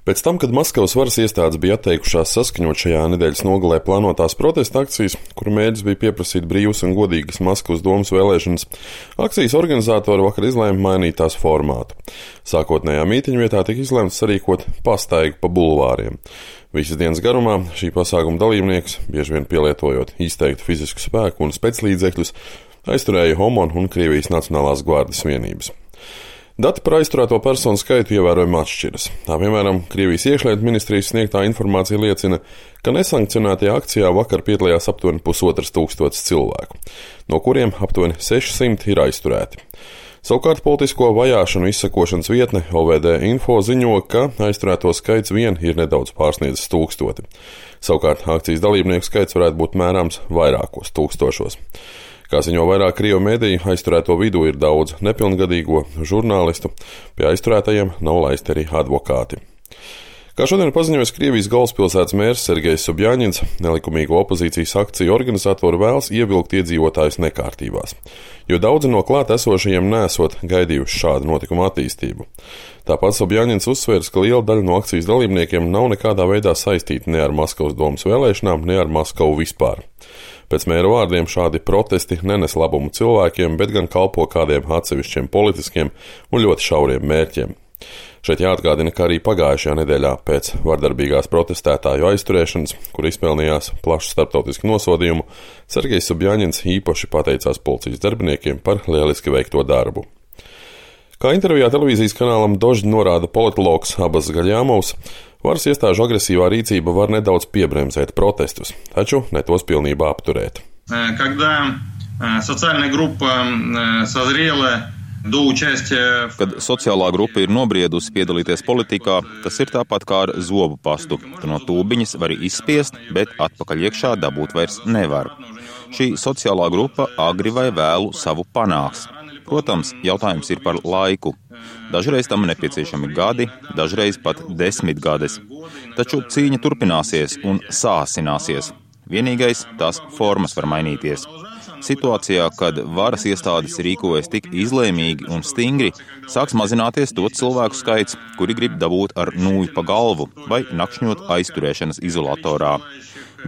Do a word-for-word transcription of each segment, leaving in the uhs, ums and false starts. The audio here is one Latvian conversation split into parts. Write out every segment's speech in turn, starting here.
Pēc tam, kad Maskavas varas iestādes bija atteikušās saskaņot šajā nedēļas nogalē plānotās protesta akcijas, kuru mērķis bija pieprasīt brīvas un godīgas Maskavas domas vēlēšanas, akcijas organizatori vakar izlēma mainīt tās formātu. Sākotnējā mītiņu vietā tika izlemts sarīkot pastaigu pa bulvāriem. Visas dienas garumā šī pasākuma dalībnieks, bieži vien pielietojot izteiktu fizisku spēku un speclīdzekļus, aizturēja Homon un Krievijas Nacionālās gvardes vienības. Dati par aizturēto personu skaitu ievērojami atšķiras. Tā piemēram, Krievijas iekšlietu ministrijas sniegtā informācija liecina, ka nesankcionētajā akcijā vakar piedalījās aptuveni pusotras tūkstotis cilvēku, no kuriem aptuveni sešsimt ir aizturēti. Savukārt politisko vajāšanu izsakošanas vietne O V D Info ziņo, ka aizturēto skaits vien ir nedaudz pārsniedzis tūkstoti. Savukārt akcijas dalībnieku skaits varētu būt mērāms vairākos tūkstošos. Kā ziņo vairāk krievu mediju, aizturēto vidū ir daudz nepilngadīgo žurnālistu, pie aizturētajiem nav laisti arī advokāti. Kā šodien paziņojas Krievijas galvaspilsētas mērs Sergejs Sobjaņins, nelikumīgo opozīcijas akciju organizatori vēlas ievilkt iedzīvotājus nekārtībās, jo daudzi no klāt esošajiem nesot gaidījuši šādu notikumu attīstību. Tāpat Sobjaņins uzsvērs, ka liela daļa no akcijas dalībniekiem nav nekādā veidā saistīti ne ar Maskavas domas vēlēšanām, ne ar Maskavu vispār. Pēc mēra vārdiem šādi protesti nenes labumu cilvēkiem, bet gan kalpo kādiem atsevišķiem politiskiem un ļoti šauriem mērķiem. Šeit jāatgādina, ka arī pagājušajā nedēļā pēc vardarbīgās protestētāju aizturēšanas, kur izpelnījās plašu starptautisku nosodījumu, Sergejs Sobjaņins īpaši pateicās policijas darbiniekiem par lieliski veikto darbu. Kā intervijā televīzijas kanālam Dožd norāda politologs Abas Gaļāmovs, varas iestāžu agresīvā rīcība var nedaudz piebremzēt protestus, taču ne tos pilnībā apturēt. Kad sociālā grupa ir nobriedusi piedalīties politikā, tas ir tāpat kā ar zobu pastu. Tu no tūbiņas vari izspiest, bet atpakaļ iekšā dabūt vairs nevar. Šī sociālā grupa agri vai vēlu savu panāks. Protams, jautājums ir par laiku. Dažreiz tam nepieciešami gadi, dažreiz pat desmit gades. Taču cīņa turpināsies un sāsināsies. Vienīgais, tās formas var mainīties. Situācijā, kad varas iestādes rīkojas tik izlēmīgi un stingri, sāks mazināties to cilvēku skaits, kuri grib dabūt ar nūju pa galvu vai nakšņot aizturēšanas izolatorā.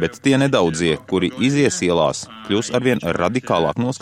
Bet tie nedaudzie, kuri izies ielās, kļūs arvien radikālāk noskaņoti.